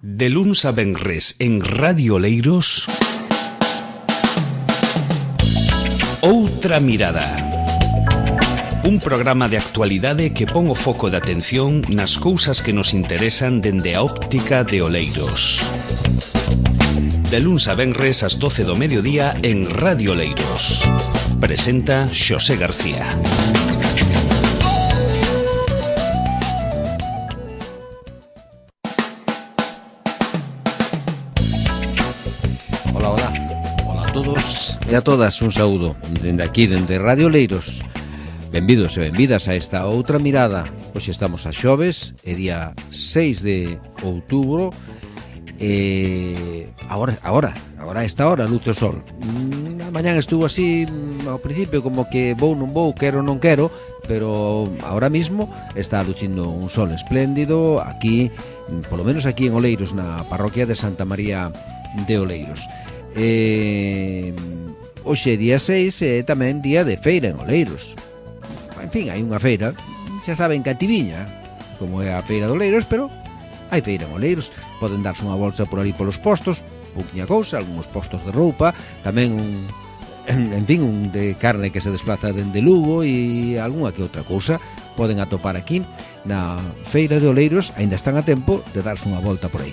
De luns a venres en Radio Oleiros, Outra Mirada. Un programa de actualidade que pon o foco de atención nas cousas que nos interesan dende a óptica de Oleiros. De luns a venres ás 12 do mediodía en Radio Oleiros. Presenta Xosé García. Hola a todos e a todas, un saúdo dende aquí, dende Radio Oleiros. Benvidos e benvidas a esta outra mirada. Hoxe estamos a xoves, é día 6 de outubro. Agora a esta hora luce o sol. A mañán estuvo así ao principio como que vou, non vou, quero, non quero, pero ahora mismo está lucindo un sol espléndido aquí, polo menos aquí en Oleiros, na parroquia de Santa María de Oleiros. Hoxe día 6 é tamén día de feira en Oleiros. En fin, hai unha feira, xa saben que a Tiviña, como é a feira de Oleiros, pero hai feira en Oleiros. Poden darse unha bolsa por ali polos postos, pouquinha cousa, algúns postos de roupa, tamén un de carne que se desplaza dende Lugo e algunha que outra cousa poden atopar aquí na feira de Oleiros. Aínda están a tempo de darse unha volta por aí.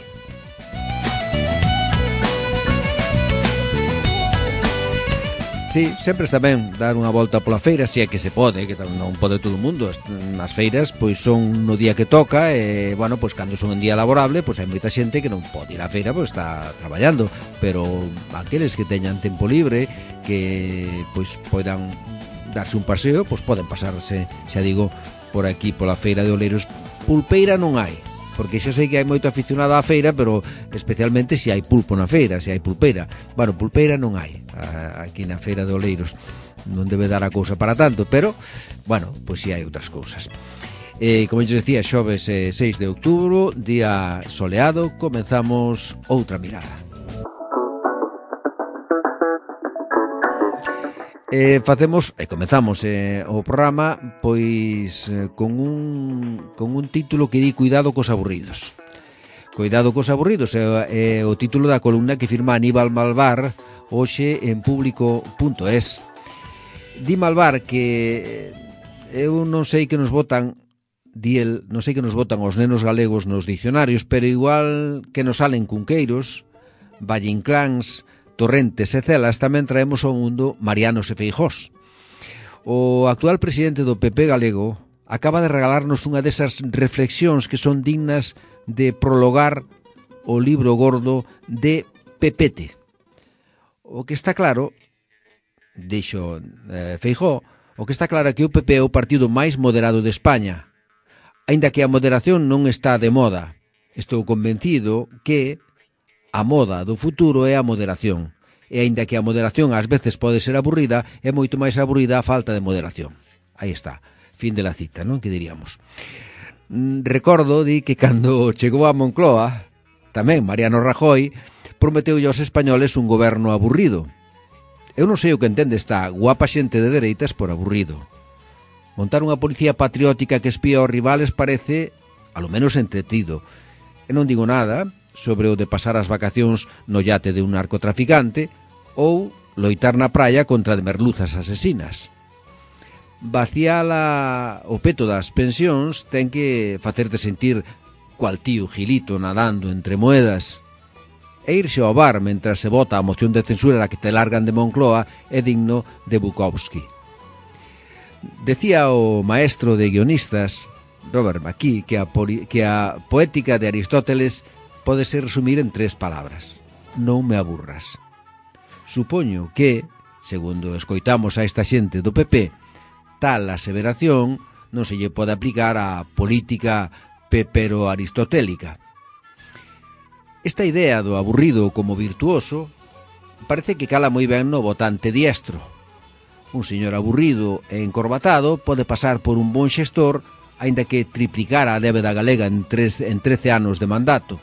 Sí, sempre está ben dar unha volta pola feira, se é que se pode, que non pode todo o mundo. As feiras pois son no día que toca e, bueno, pois cando son en día laborable, pois hai moita xente que non pode ir á feira, pois está traballando, pero aqueles que teñan tempo libre, que pois poidan darse un paseo, pois poden pasarse, xa digo, por aquí, pola feira de Oleiros. Pulpeira non hai, porque xa sei que hai moito aficionado á feira, pero especialmente se hai pulpo na feira, se hai pulpeira. Bueno, pulpeira non hai aquí na feira de Oleiros, non debe dar a cousa para tanto, pero, bueno, pois si hai outras cousas. Como eu decía, xoves 6 de outubro, día soleado, comenzamos outra mirada. Comezamos o programa pois con un título que di Cuidado cos aburridos. Cuidado cos aburridos é o título da columna que firma Aníbal Malvar hoxe en público.es. Di Malvar que eu non sei que nos botan, non sei que nos botan os nenos galegos nos dicionarios, pero igual que nos salen cunqueiros, vallincláns, torrentes e celas, tamén traemos ao mundo marianos e feijós. O actual presidente do PP galego acaba de regalarnos unha desas reflexións que son dignas de prologar o libro gordo de Pepete. O que está claro, dixo Feijóo, o que está claro é que o PP é o partido máis moderado de España. Aínda que a moderación non está de moda, estou convencido que a moda do futuro é a moderación. E aínda que a moderación ás veces pode ser aburrida, é moito máis aburrida a falta de moderación. Aí está, fin de la cita, non? Que diríamos. Recordo que cando chegou a Moncloa, tamén Mariano Rajoy prometeu aos españoles un goberno aburrido. Eu non sei o que entende esta guapa xente de dereitas por aburrido. Montar unha policía patriótica que espía aos rivales parece, alo menos, entretido. E non digo nada sobre o de pasar as vacacións no yate de un narcotraficante ou loitar na praia contra de merluzas asesinas. Vaciar o peto das pensións ten que facerte sentir cual tío Gilito nadando entre moedas. E irse ao bar mentras se vota a moción de censura que te largan de Moncloa é digno de Bukowski. Decía o maestro de guionistas, Robert McKee, que a poética de Aristóteles pode ser resumir en 3 palabras: non me aburras. Supoño que, segundo escoitamos a esta xente do PP, tal aseveración non se lle pode aplicar á política pepero-aristotélica. Esta idea do aburrido como virtuoso parece que cala moi ben no votante diestro. Un señor aburrido e encorbatado pode pasar por un bon xestor, aínda que triplicara a débeda galega en 13 anos de mandato.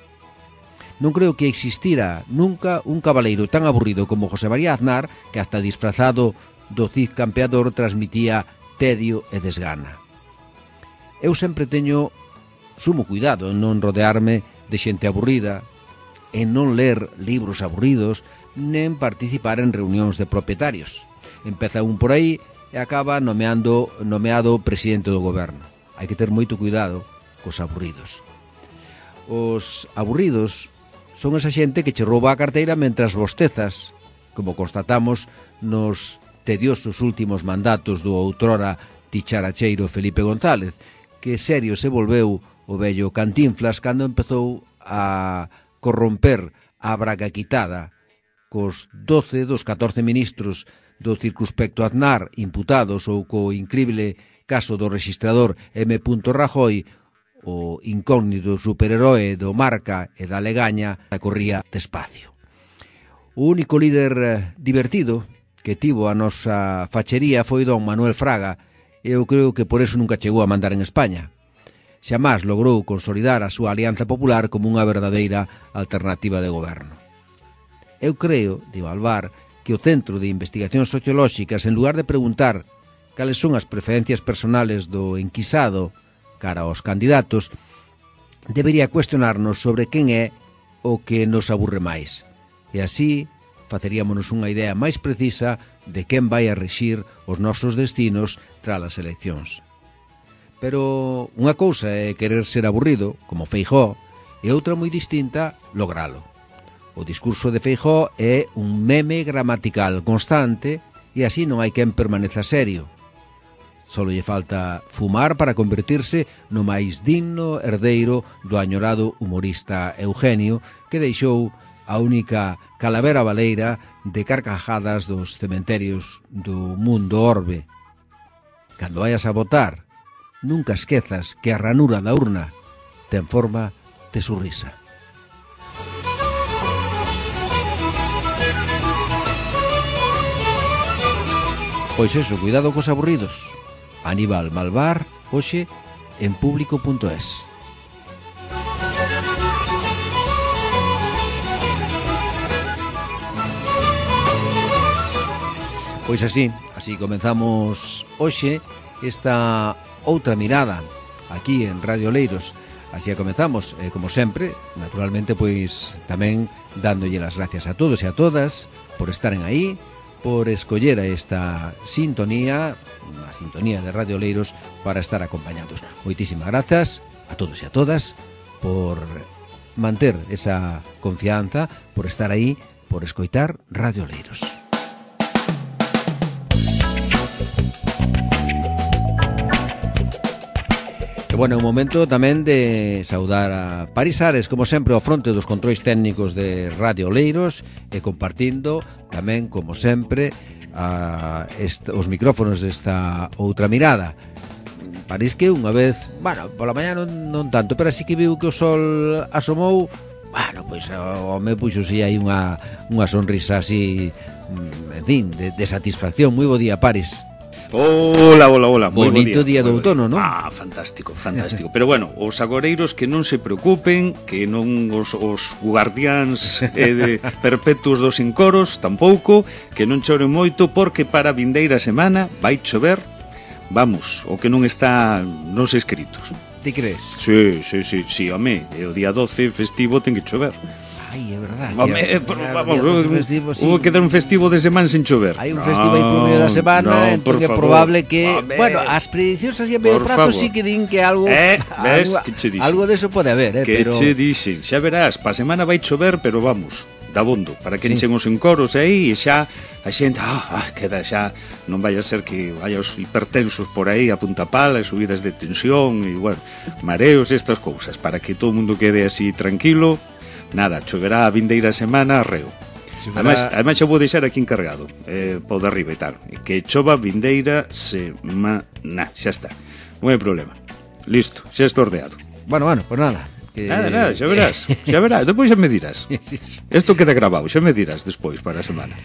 Non creo que existira nunca un cabaleiro tan aburrido como José María Aznar, que hasta disfrazado do Cid campeador transmitía tedio e desgana. Eu sempre teño sumo cuidado en non rodearme de xente aburrida, en non ler libros aburridos nen participar en reunións de propietarios. Empeza un por aí e acaba nomeado presidente do goberno. Hai que ter moito cuidado cos aburridos. Os aburridos son esa xente que che rouba a carteira mentras bostezas, como constatamos nos tediosos últimos mandatos do outrora ticharacheiro Felipe González, que serio se volveu o vello Cantinflas cando empezou a corromper a braga quitada cos 12 dos 14 ministros do circunspecto Aznar imputados ou co incrible caso do rexistrador M. Rajoy, o incógnito superheroe do Marca e da Legaña corría despacio. O único líder divertido que tivo a nosa fachería foi don Manuel Fraga, e eu creo que por eso nunca chegou a mandar en España. Xamás logrou consolidar a súa alianza popular como unha verdadeira alternativa de goberno. Eu creo, di Balvar, que o Centro de Investigacións Sociolóxicas, en lugar de preguntar cales son as preferencias personales do enquisado cara aos candidatos, debería cuestionarnos sobre quen é o que nos aburre máis. E así faceríamonos unha idea máis precisa de quen vai a rexir os nosos destinos tras as eleccións. Pero unha cousa é querer ser aburrido, como Feijóo, e outra moi distinta, logralo. O discurso de Feijóo é un meme gramatical constante e así non hai quen permaneza serio. Solo lle falta fumar para convertirse no máis digno herdeiro do añorado humorista Eugenio, que deixou a única calavera baleira de carcajadas dos cementerios do mundo orbe. Cando vayas a votar, nunca esquezas que a ranura da urna ten forma de surrisa. Pois eso, cuidado cos aburridos. Aníbal Malvar, hoxe en público.es. Pois así comenzamos hoxe esta outra mirada aquí en Radio Oleiros. Así comenzamos, como sempre, naturalmente, pois tamén dándolle as gracias a todos e a todas por estaren aí, por escoller a esta sintonía, a sintonía de Radio Oleiros, para estar acompañados. Moitísimas grazas a todos e a todas por manter esa confianza, por estar aí, por escoitar Radio Oleiros. Bueno, é un momento tamén de saudar a Paris Ares, como sempre, ao fronte dos controis técnicos de Radio Oleiros, e compartindo tamén, como sempre, os micrófonos desta outra mirada. París que unha vez, bueno, pola mañá non tanto, pero así que viu que o sol asomou, bueno, pois o me puxose aí unha sonrisa así, en fin, de satisfacción. Moi bo día, Paris. Hola. Bonito día do outono, non? Fantástico. Pero bueno, os agoreiros que non se preocupen, que non os guardiáns perpetuos dos encoros tampouco, que non choren moito, porque para a vindeira semana vai chover, vamos, o que non está nos escritos. Ti crees? Sí, home, o día 12 festivo ten que chover. Ai, é verdade. Hubo que dar un festivo de semana sin chover. Hai un festivo aí por medio da semana, entón é probable que... Bueno, as prediccións así a medio prazo sí que din que algo... Algo deso pode haber, pero... Que che dixen, xa verás, pa semana vai chover, pero vamos, dabondo, para que enchen os encoros aí e xa a xente, queda xa, non vai a ser que vaya os hipertensos por aí a punta pala, subidas de tensión e, bueno, mareos e estas cousas, para que todo o mundo quede así tranquilo. Nada, choverá a vindeira semana arreo. Ademais xa vou deixar aquí encargado, pau de arriba e tal, que chova vindeira semana. Xa está, non hai problema. Listo, xa está ordeado. Bueno, pues nada. Nada, xa verás, despois xa me dirás. Isto queda grabado, xa me dirás despois para a semana.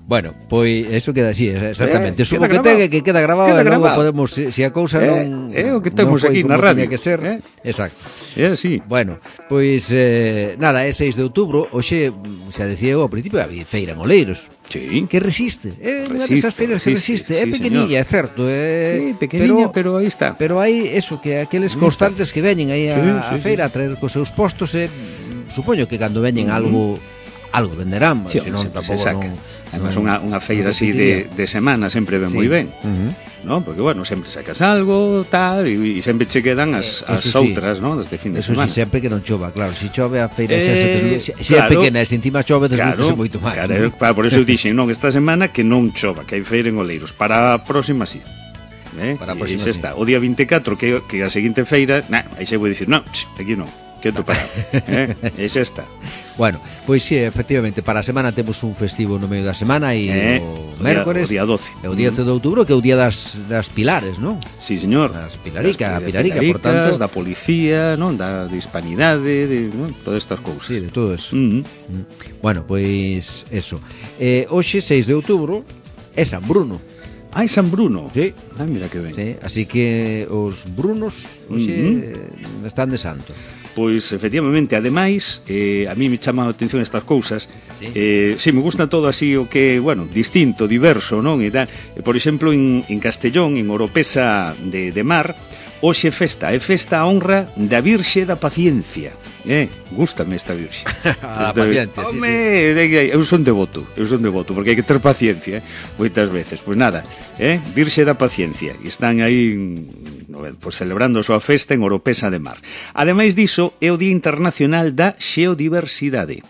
Bueno, pois eso queda así, exactamente. Supo que queda grabado e logo podemos, se a cousa non... É o que temos aquí na radio. Que ser. Exacto. É así. Bueno, pois nada, é 6 de outubro. Hoxe, xa decía eu ao principio, había feira en Oleiros. Sí. Que resiste. É unha desas feiras que resiste. É pequeniña, é certo. Sí, pequeniña, pero aí está. Pero hai eso, que aqueles constantes que veñen aí a feira a traer cos seus postos, supoño que cando veñen algo venderán, sí, senón sempre se tampouco saca. non. Además, unha feira así de semana sempre ven moi ben, ¿no? Porque, bueno, sempre sacas algo, tal, e sempre che quedan as outras, ¿no? Desde fin de semana. Eso sí, sempre que non chova, claro. Se chove a feira se claro, é pequena e se encima chove, desluce moito máis. Claro, por eso dixen, non, esta semana que non chova, que hai feira en Oleiros. Para a próxima, sí. Para a próxima, sí. Está. O día 24, que a seguinte feira, aí se vou dicir, non, aquí non. Quieto parado, e xa está. Bueno, pois sí, efectivamente, para a semana temos un festivo no medio da semana e o mércores, o día 12. E o día 12 de outubro, que é o día das pilares, non? Sí, señor. Das pilaricas, por tanto, da policía, non, da hispanidade, non, todas estas cousas. Sí, de todo eso. Bueno, pois eso. Hoxe, 6 de outubro, é San Bruno. Ah, é San Bruno. Sí. Ah, mira que ben. Sí, así que os brunos hoxe están de santo. Pois, efectivamente, ademais, a mí me chaman a atención estas cousas. Sí, me gusta todo así o que, bueno, distinto, diverso, non? E tal. Por exemplo, en Castellón, en Oropesa de Mar, hoxe é festa a honra da Virxe da Paciencia. Gústame esta Virxe. A paciencia, sí, sí. Eu son devoto, porque hai que ter paciencia, moitas veces. Pois nada, Virxe da Paciencia. E están aí pues, celebrando a súa festa en Oropesa de Mar. Ademais diso, é o Día Internacional da Xeodiversidade,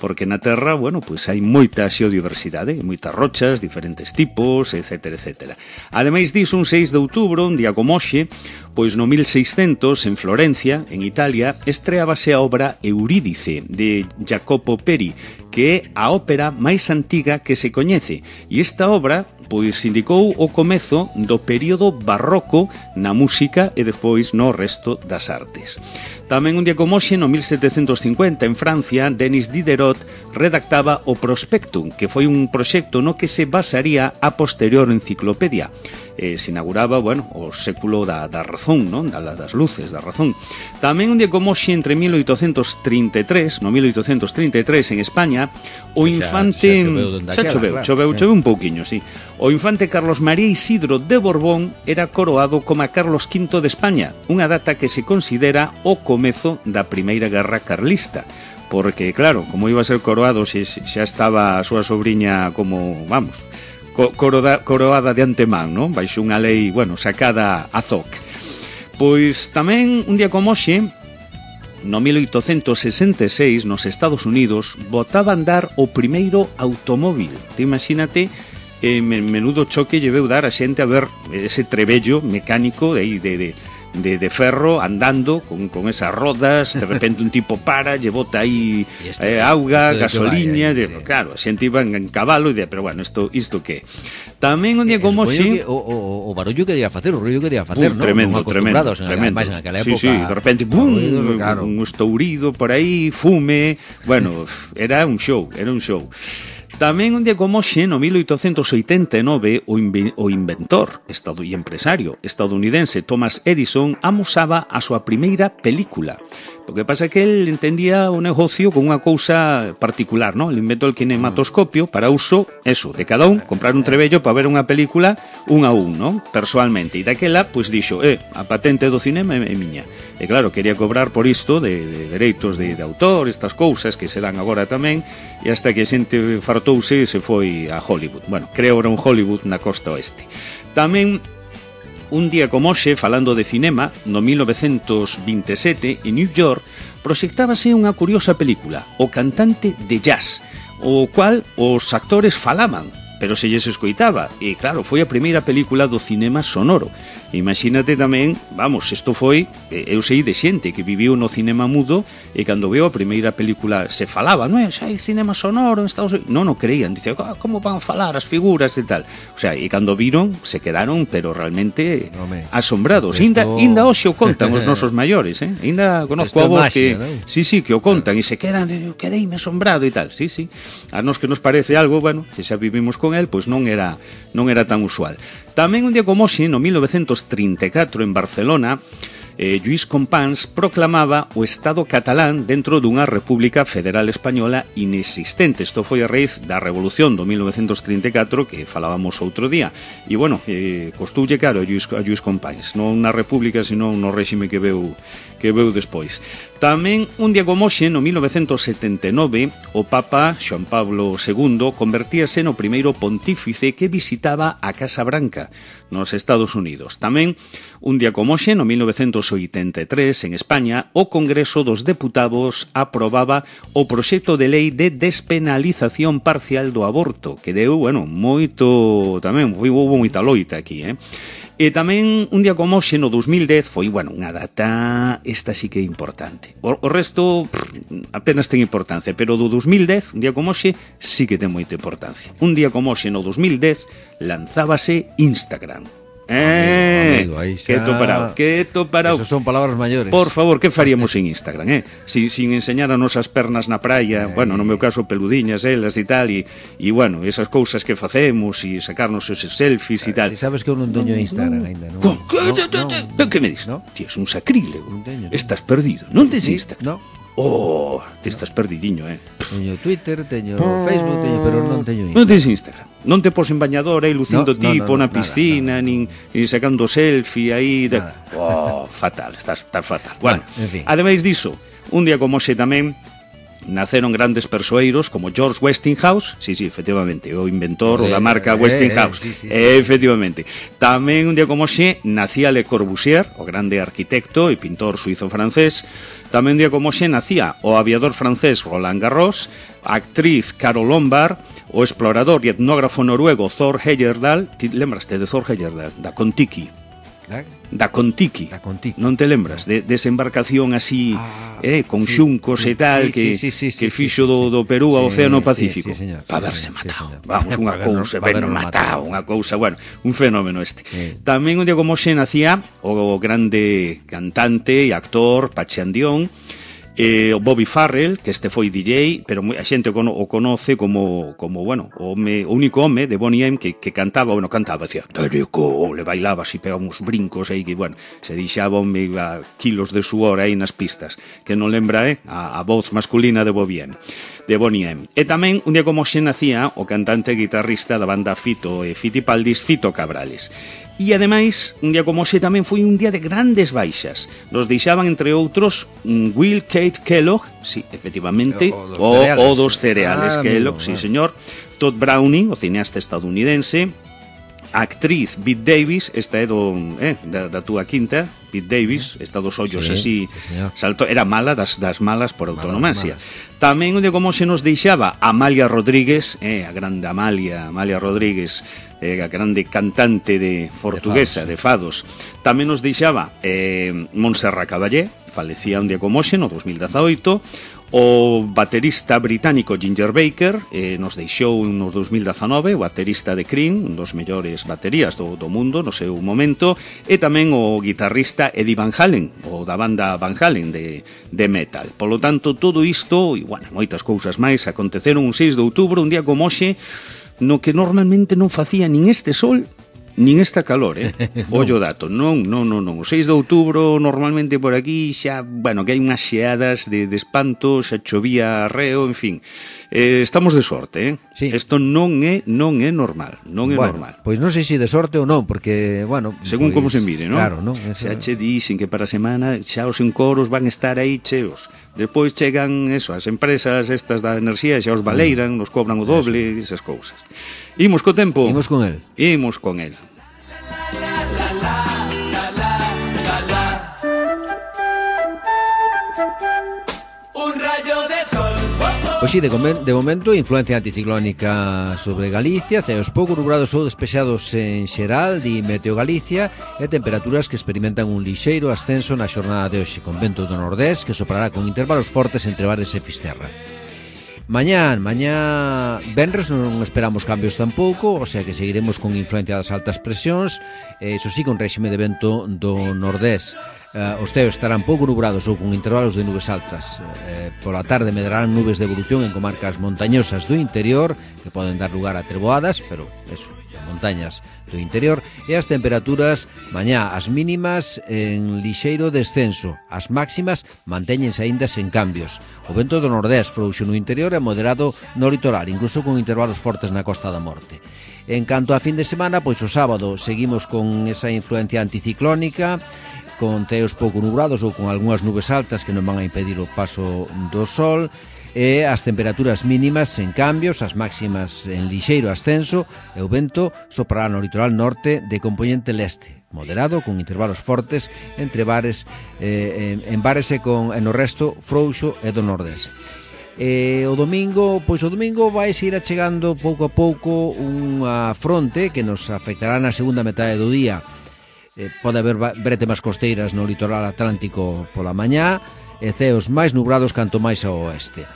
porque na Terra, bueno, pues hai moita xeodiversidade, moitas rochas, diferentes tipos, etc, etc. Ademais diso, un 6 de outubro, un día como hoxe, pois no 1600, en Florencia, en Italia, estreábase a obra Eurídice, de Jacopo Peri, que é a ópera máis antiga que se coñece. E esta obra pois indicou o comezo do período barroco na música e despois no resto das artes. Tamén un día como hoxe, no 1750, en Francia, Denis Diderot redactaba o Prospectum, que foi un proxecto no que se basaría a posterior enciclopedia. Se inauguraba, bueno, o século da razón, non? Das luces, da razón. Tamén un día como hoxe, entre 1833, no 1833, en España, o infante... Choveu un pouquiño, sí. O infante Carlos María Isidro de Borbón era coroado como a Carlos V de España, unha data que se considera o comezo da Primeira Guerra Carlista. Porque, claro, como iba a ser coroado, xa estaba a súa sobriña como, vamos... coroada de antemán, non? Baixo unha lei, bueno, sacada a zoc. Pois tamén un día como hoxe, no 1866, nos Estados Unidos, botaba a andar o primeiro automóvil. Te imagínate, menudo choque lle veu dar a xente a ver ese trebello mecánico de ferro andando con esas rodas, de repente un tipo para, lle bota aí auga, gasoliña, claro, a xente iba en cabalo e pero bueno, isto que tamén un día como hoxe o barullo que debía facer, o ruido que debía facer, non? Tremendo. Máis naquela época. Sí, de repente claro, un estourido por aí, fume, bueno, era un show. Tamén un día como hoxe, no 1889, o inventor e empresario estadounidense Thomas Edison amosaba a súa primeira película. O que pasa é que el entendía o negocio con unha cousa particular, ¿no? El inventou el kinematoscopio para uso, eso, de cada un, comprar un trebello para ver unha película un a un, ¿no? Personalmente. E daquela, pois dixo, a patente do cinema é miña. E claro, quería cobrar por isto de dereitos de autor, estas cousas que se dan agora tamén, e hasta que a xente fartouse e se foi a Hollywood. Bueno, creo era un Hollywood na costa oeste. Tamén un día como hoxe, falando de cinema, no 1927, en New York, proxectábase unha curiosa película, O cantante de jazz, o cual os actores falaban, pero se lles escoitaba. E claro, foi a primeira película do cinema sonoro. Imagínate tamén, vamos, isto foi, eu sei de xente que viviu no cinema mudo e cando veo a primeira película se falaba, non é? Xa hai cinema sonoro en Estados Unidos. Non creían, dice, como van a falar as figuras e tal. O sea, e cando viron, se quedaron, pero realmente asombrados. Inda hoxe o contan os nosos maiores, Inda conozco a vos que, sí, que o contan e se quedan, quedeime asombrado e tal. Sí. A nos que nos parece algo, bueno, que xa vivimos con el, pois non era tan usual. Tamén un día como hoxe, no 1934, en Barcelona, Lluís Companys proclamaba o Estado catalán dentro dunha república federal española inexistente. Isto foi a raíz da Revolución do 1934 que falábamos outro día. E, bueno, costoulle caro a Lluís Companys, non na república, sino no réxime que veu despois. Tamén, un día como hoxe, no 1979, o Papa Xoán Pablo II convertíase no primeiro pontífice que visitaba a Casa Branca, nos Estados Unidos. Tamén, un día como hoxe, no 1983, en España, o Congreso dos Deputados aprobaba o proxecto de lei de despenalización parcial do aborto, que deu, bueno, moito, tamén, houve moita loita aquí, E tamén, un día como hoxe, no 2010, foi, bueno, unha data, esta sí que é importante. O resto, apenas ten importancia, pero do 2010, un día como hoxe, sí que ten moita importancia. Un día como hoxe, no 2010, lanzábase Instagram. Amigo, aí xa... Que toparao. Eso son palabras maiores. Por favor, que faríamos en Instagram, sin enseñar a nosas pernas na praia, bueno, no meu caso peludiñas elas e tal, e bueno, esas cousas que facemos e sacarnos esos selfies e tal. Sabes que eu non teño Instagram ainda, non? Que me dis? Ti es un sacrílego. Estás perdido. Non tes Instagram? No. Oh, te estás perdidiño, Teño Twitter, teño Facebook, pero non teño Instagram. Non tens Instagram. Non te pos en bañador aí lucindo tipo na piscina, nin sacando selfie aí. Fatal, estás fatal. Bueno, en fin. Ademais diso, un día como hoxe tamén naceron grandes persoeiros como George Westinghouse, sí, efectivamente, o inventor da marca Westinghouse, efectivamente. Tamén un día como hoxe nacía Le Corbusier, o grande arquitecto e pintor suizo-francés. Tamén un día como hoxe nacía o aviador francés Roland Garros, a actriz Carol Lombard, o explorador e etnógrafo noruego Thor Heyerdahl. Ti lembraste de Thor Heyerdahl? Da Kon-Tiki. Da Kon-Tiki. Non te lembras? Desa embarcación así, con xuncos e tal, que fixo do Perú ao Océano Pacífico. Para haberse matado. Vamos, unha cousa, unha cousa, bueno, un fenómeno este. Tamén un día como xe nacía o grande cantante e actor Pachandión, o Bobby Farrell, que este foi DJ, pero a xente o conoce como bueno, o único home de Boney M que cantaba, decía, Terico, le bailaba así, pegaba uns brincos aí, que, bueno, se deixaba kilos de suor aí nas pistas, que non lembra, a voz masculina de Boney M. E tamén, un día como xe nacía o cantante e guitarrista da banda Fito e Fitipaldis, Fito Cabrales. E, ademais, un día como xe tamén foi un día de grandes baixas. Nos deixaban, entre outros, Will Kate Kellogg, sí, efectivamente, o dos cereales Kellogg, sí, señor, Todd Browning, o cineasta estadounidense, a actriz Bette Davis, esta é da túa quinta, Bette Davis, esta dos ollos así, salto, era mala das malas por autonomasia. Tamén un día como xe nos deixaba Amalia Rodríguez, a grande Amalia Rodríguez, a grande cantante portuguesa de fados. Tamén nos deixaba Montserrat Caballé, falecía un día como hoxe, no 2018. O baterista británico Ginger Baker nos deixou no 2019, o baterista de Cream, un dos mellores baterías do mundo no seu momento, e tamén o guitarrista Eddie Van Halen, o da banda Van Halen de metal. Polo tanto, todo isto, e, bueno, moitas cousas máis, aconteceron un 6 de outubro, un día como hoxe, no que normalmente non facía nin este sol nin esta calor, ollo dato, non, o 6 de outubro normalmente por aquí xa, bueno, que hai unhas xeadas de espanto, xa chovía reo, en fin, estamos de sorte, isto non é normal, normal. Pois non sei se de sorte ou non, porque, bueno, según como se mire, non? Claro, non? Xa che dicen que para a semana xa os encoros van estar aí cheos, despois chegan as empresas estas da enerxía, xa os baleiran, nos cobran o doble, esas cousas. Imos co tempo. Imos con el. Pois si, de momento, influencia anticiclónica sobre Galicia, ceos pouco nubrados ou despexados en xeral, di Meteo Galicia, e temperaturas que experimentan un lixeiro ascenso na xornada de hoxe, con vento do nordés que soprará con intervalos fortes entre Bares e Fisterra. Mañá venres non esperamos cambios tampouco, o sea que seguiremos con influencia das altas presións, eso sí, con réxime de vento do nordés. Os ceos estarán pouco nubrados ou con intervalos de nubes altas. Pola tarde medrarán nubes de evolución en comarcas montañosas do interior, que poden dar lugar a treboadas, pero eso, montañas do interior. E as temperaturas mañá, as mínimas en lixeiro descenso, as máximas mantéñense aínda sen cambios. O vento do nordés frouxo no interior e moderado no litoral, incluso con intervalos fortes na Costa da Morte. En canto a fin de semana, pois o sábado seguimos con esa influencia anticiclónica, con ceos pouco nubrados ou con algunhas nubes altas que non van a impedir o paso do sol, e as temperaturas mínimas sen cambios, as máximas en lixeiro ascenso, e o vento soprará no litoral norte de compoñente leste, moderado, con intervalos fortes entre bares, en bares e no resto frouxo e do nordés. O domingo vai seguir achegando pouco a pouco unha fronte que nos afectará na segunda metade do día. Pode haber brétemas costeiras no litoral atlántico pola mañá e ceos máis nubrados canto máis ao oeste.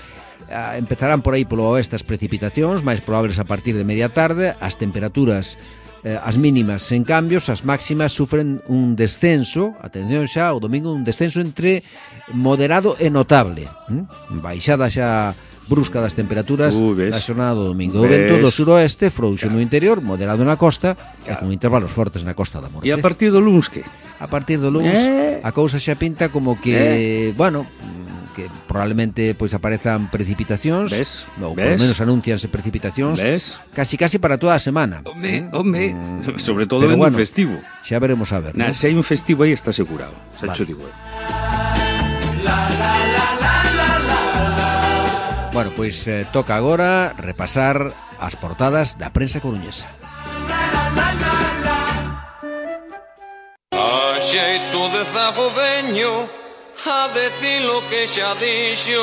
Empezarán por aí polo oeste as precipitacións, máis probables a partir de media tarde. As temperaturas, as mínimas sen cambios, as máximas sufren un descenso, atención xa, o domingo un descenso entre moderado e notable, baixada xa brusca das temperaturas da xornada do domingo. O vento do suroeste frouxo no interior, moderado na costa, e con intervalos fortes na Costa da Morte. E a partir do luns que? A partir do luns a cousa xa pinta como que, bueno, que probablemente pois aparezan precipitacións, ou polo menos anuncianse precipitacións, casi para toda a semana. Home, sobre todo en un festivo. Xa veremos a ver. Se hai un festivo aí está asegurado, xa cho digo. Bueno, pois toca agora repasar as portadas da prensa coruñesa. A xeito de zago veño a decir lo que xa dixo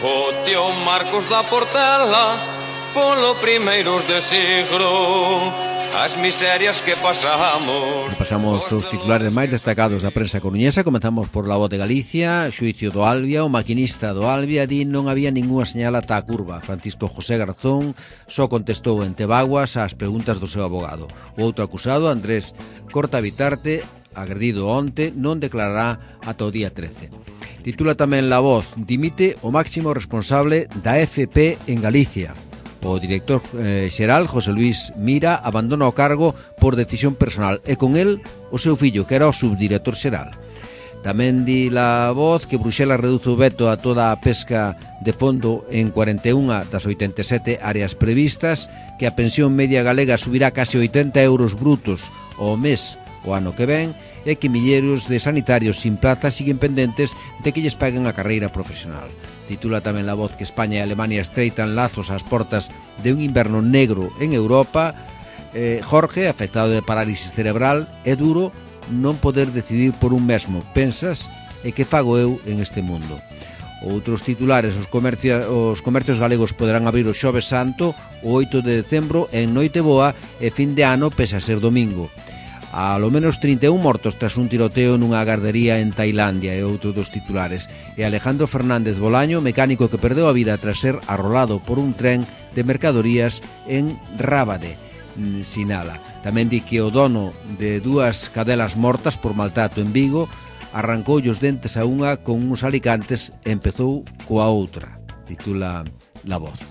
o tío Marcos da Portela polo primeiros de siglo. As miserias que pasamos. Repasamos os titulares máis destacados da prensa coruñesa. Comenzamos por La Voz de Galicia. Xuicio do Albia. O maquinista do Albia di non había ningunha señal ata a curva. Francisco José Garzón só contestou en Tebaguas ás preguntas do seu abogado. O outro acusado, Andrés Cortabitarte, agredido onte, non declarará ata o día 13. Titula tamén La Voz: dimite o máximo responsable da FP en Galicia. O director xeral, José Luis Mira, abandona o cargo por decisión personal e con el o seu fillo, que era o subdirector xeral. Tamén di La Voz que Bruxelas reduce o veto a toda a pesca de fondo en 41 das 87 áreas previstas, que a pensión media galega subirá case 80 euros brutos ao mes o ano que ven, e que milleiros de sanitarios sin plaza siguen pendentes de que lles paguen a carreira profesional. Titula tamén La Voz que España e Alemania estreitan lazos ás portas de un inverno negro en Europa. Jorge, afectado de parálisis cerebral, é duro non poder decidir por un mesmo. Pensas, e que fago eu en este mundo? Outros titulares: os comercios galegos poderán abrir o Xoves Santo o 8 de decembro en Noiteboa e fin de ano pese a ser domingo. A lo menos 31 mortos tras un tiroteo nunha gardería en Tailandia, e outro dos titulares. E Alejandro Fernández Bolaño, mecánico que perdeu a vida tras ser arrolado por un tren de mercadorías en Rábade, sinala. Tamén di que o dono de dúas cadelas mortas por maltrato en Vigo arrancoulle os dentes a unha con uns alicantes e empezou coa outra. Titula La Voz.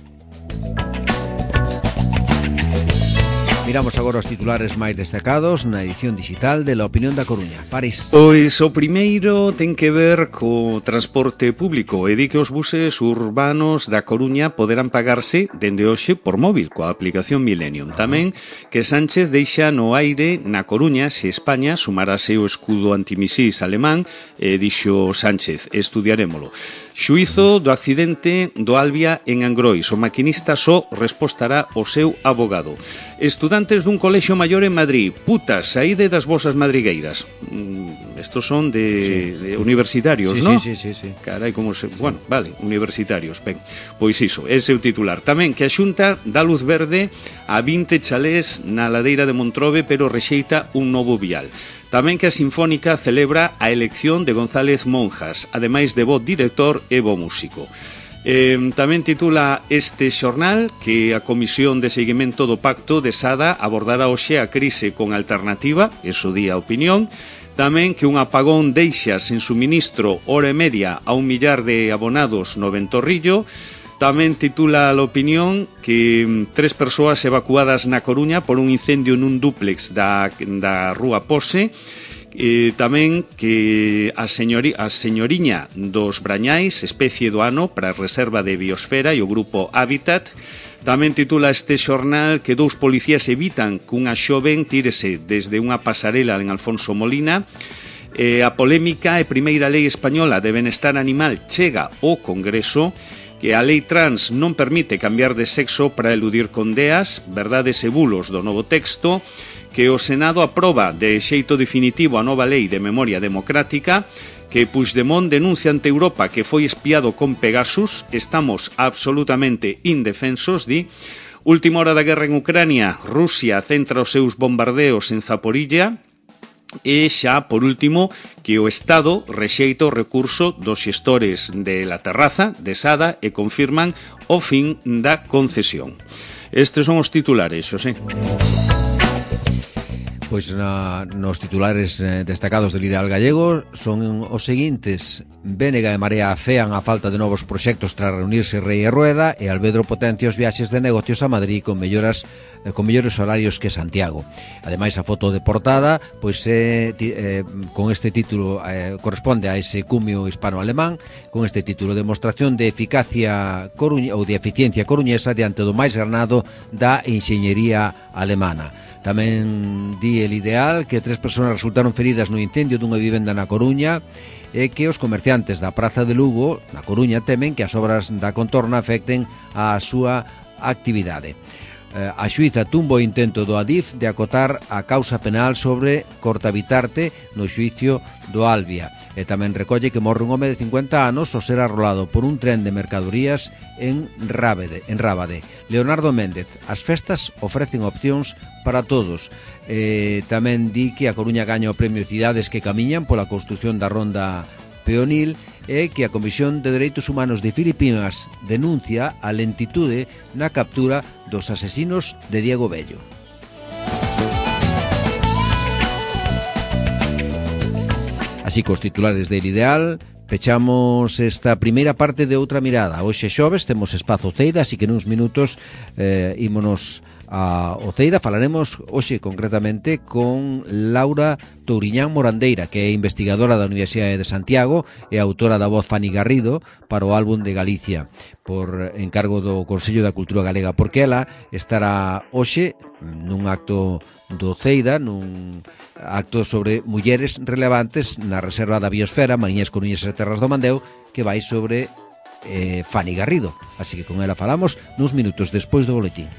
Miramos agora os titulares máis destacados na edición digital de La Opinión da Coruña. París. Pois o primeiro ten que ver co transporte público e di que os buses urbanos da Coruña poderán pagarse dende hoxe por móvil coa aplicación Millennium. Tamén que Sánchez deixa no aire na Coruña se España sumarase o escudo antimisís alemán, dixo Sánchez, estudiarémolo. Xuízo do accidente do Albia en Angrois. O maquinista só respostará o seu abogado. Estudantes dun colexio maior en Madrid. Putas, saíde das vosas madrigueiras. Estos son de universitarios, sí, ¿no? Sí. Carai, como se... Bueno, vale, universitarios. Ben, pois iso, ese é o titular. Tamén que a Xunta dá luz verde a 20 chalés na ladeira de Montrobe, pero rexeita un novo vial. Tamén que a Sinfónica celebra a elección de González Monjas, ademais de bo director e bo músico. Tamén titula este xornal que a Comisión de Seguimento do Pacto de Sada abordará hoxe a crise con alternativa, eso di a opinión. Tamén que un apagón deixa sen suministro hora e media a 1 millar de abonados no Ventorrillo. Tamén titula a opinión que 3 persoas evacuadas na Coruña por un incendio nun dúplex da Rúa Pose. Tamén que a señoriña dos Brañais, especie do ano para a Reserva de Biosfera e o Grupo Hábitat. Tamén titula este xornal que 2 policías evitan que unha xoven tírese desde unha pasarela en Alfonso Molina. A polémica e primeira lei española de benestar animal chega ao Congreso, que a lei trans non permite cambiar de sexo para eludir condeas, verdades e bulos do novo texto, que o Senado aproba de xeito definitivo a nova lei de memoria democrática, que Puigdemont denuncia ante Europa que foi espiado con Pegasus, estamos absolutamente indefensos, di. Última hora da guerra en Ucrania, Rusia centra os seus bombardeos en Zaporilla. E xa, por último, que o Estado rexeita o recurso dos xestores de La Terraza, de Sada, e confirman o fin da concesión. Estes son os titulares, Xosé. Pois nos titulares destacados del Ideal Gallego son os seguintes: Bénega e Marea afean a falta de novos proxectos tras reunirse Rei e Rueda, e Alvedro potencia os viaxes de negocios a Madrid con mellores horarios que Santiago. Ademais, a foto de portada pois con este título corresponde a ese cumio hispano-alemán, con este título: Demostración de eficacia ou de eficiencia coruñesa diante do máis granado da enxeñería alemana. Tamén di el Ideal que 3 persoas resultaron feridas no incendio dunha vivenda na Coruña, e que os comerciantes da Praza de Lugo, na Coruña, temen que as obras da contorna afecten a súa actividade. A xuíza tumba o intento do Adif de acotar a causa penal sobre Cortabitarte no xuicio do Albia, e tamén recolle que morre un home de 50 anos ao ser arrolado por un tren de mercadorías en Rábade. Leonardo Méndez: as festas ofrecen opcións para todos. Tamén di que a Coruña gaña o premio Cidades que Camiñan pola construción da ronda peonil, e que a Comisión de Dereitos Humanos de Filipinas denuncia a lentitude na captura dos asesinos de Diego Bello. Así que os titulares del Ideal pechamos esta primeira parte de Outra Mirada. Hoxe xoves temos espazo Ceida, así que nuns minutos ímonos a Oceira. Falaremos hoxe concretamente con Laura Touriñán Morandeira, que é investigadora da Universidade de Santiago e autora da voz Fanny Garrido para o álbum de Galicia, por encargo do Consello da Cultura Galega, porque ela estará hoxe nun acto do Ceida, nun acto sobre mulleres relevantes na Reserva da Biosfera, Mariñas, Coruñas e Terras do Mandeo, que vai sobre Fanny Garrido. Así que con ela falamos nuns minutos despois do boletín.